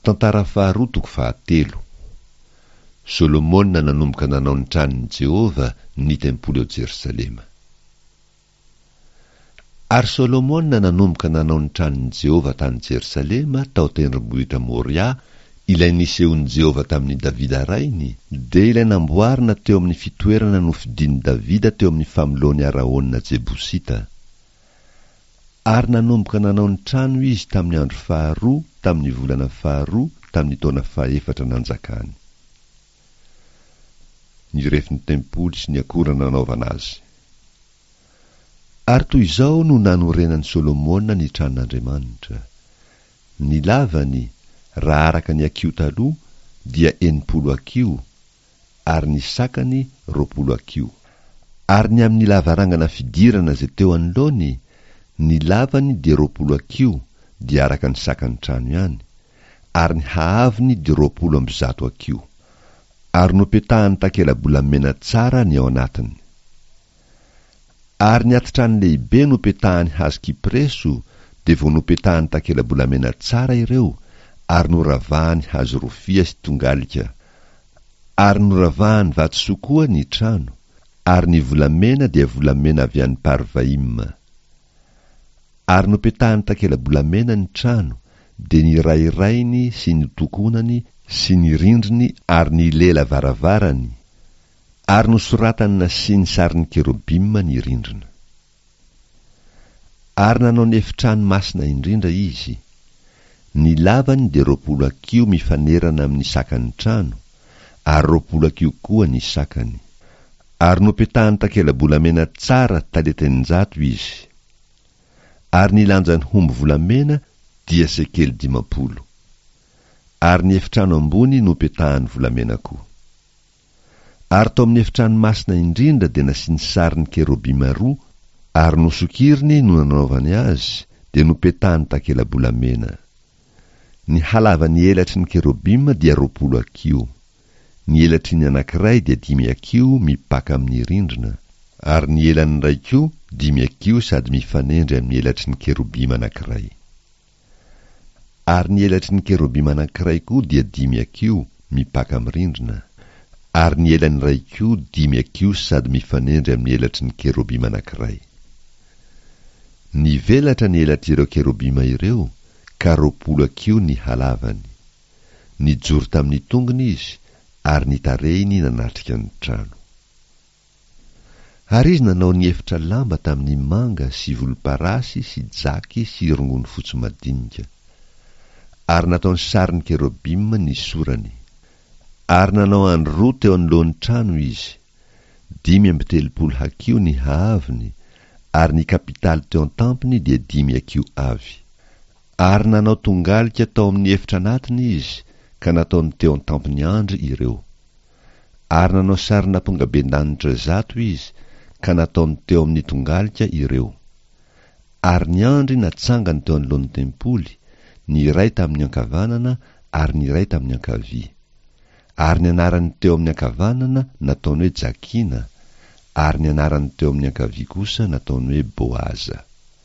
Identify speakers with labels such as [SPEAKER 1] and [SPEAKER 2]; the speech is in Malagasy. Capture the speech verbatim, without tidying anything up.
[SPEAKER 1] Tantara faharoa toko fahatelo. Solomona nanomboka nanao ny tranon'i Jehovah, ny tempoly ao Jerosalema. Ary Solomona nanomboka nanao ny tranon'i Jehovah tany Jerosalema tao tendrombohitra Moria, ilay nisehoan'i Jehovah tamin'i Davida rainy, dia ilay namboarina teo amin'ny fitoerana nofidin'i Davida teo amin'ny famoloan'i Araona Jebosita. Ary nanomboka nanao ny trano izy tamin'ny andro faharoa tamin'ny volana faharoa tamin'ny taona fahefatra nanjakany. Ny refin'ny tempoly sy ny akora nanaovana azy. Ary toy izao no nanorenan'i Solomona ny tranon'Andriamanitra. Ny lavany, raha araka ny hakiho taloha, dia enimpolo hakiho, ary ny sakany roapolo hakiho. Ary ny amin'ny lavarangana fidirana izay teo anoloany, ny lavany dia roapolo hakiho, dia araka ny sakan'ny trano ihany, ary ny haavony dia roapolo amby zato hakiho. Ary nopetahany takela-bolamena tsara ny ao anatiny. Ary ny atitrano lehibe nopetahany hazo kypreso, dia vao nopetahany takela-bolamena tsara ireo, ary noravahany hazo rofia sy tongalika. Ary noravahany vatosoa koa ny trano, ary ny volamena dia volamena avy any Parvaima. Ary nopetahany takela-bolamena ny trano, dia ny rairainy sy ny tokonany sy ny rindriny ary ny lela varavarany, ary nosoratany nasiany sarin'ny kerobima ny rindrina. Ary nanao ny efitrano masina indrindra izy. Ny lavany dia roapolo hakiho mifanerana amin'ny sakan'ny trano, ary roapolo hakiho koa ny sakany. Ary nopetahany takela-bolamena tsara talenta eninjato izy. Ary ny lanjan'ny hombo volamena dia sekely dimampolo. Ary ny efitrano ambony nopetahany volamena koa. Ary tao amin'ny efitrano masina indrindra dia nasiany sarin'ny kerobima roa, ary nosokiriny no nanaovany azy, dia nopetahany takela-bolamena. Ny halavan'ny elatry ny kerobima dia roapolo hakiho. Ny elatry ny anankiray dia dimy hakiho mipaka amin'ny rindrina, ary ny elan'ny iray koa dimy hakiho sady mifanendry amin'ny elatry ny kerobima anankiray. Ary ny elatry ny kerobima anankiray koa dia dimy hakiho mipaka amin'ny rindrina, ary ny elany iray koa dimy hakiho sady mifanendry amin'ny elatry ny kerobima anankiray. Nivelatra ny elatr'ireo kerobima ireo, ka roapolo hakiho ny halavany. Nijoro tamin'ny tongony izy, ary ny tarehiny nanatrika ny trano. Ary izy nanao ny efitra lamba tamin'ny manga sy volomparasy sy jaky sy rongony fotsy madinika. Ary nataony sarin'ny kerobima ny sorany. Ary nanao andry roa teo anoloan'ny trano izy. Dimy amby telopolo hakiho ny haavony, ary ny kapitaly teo an-tampony dia dimy hakiho avy. Ary nanao tongalika tao amin'ny efitra anatiny izy, ka nataony teo an-tampony andry ireo. Ary nanao sarin'ampongabendanitra zato izy, ka nataony teo amin'ny tongalika ireo. Ary ny andry natsangany teo anoloan'ny tempoly, ny iray tamin'ny ankavanana ary ny iray tamin'ny ankavia. Ary ny anarany teo amin'ny ankavanana nataony hoe Jakina, ary ny anarany teo amin'ny ankavia kosa nataony hoe Boaza.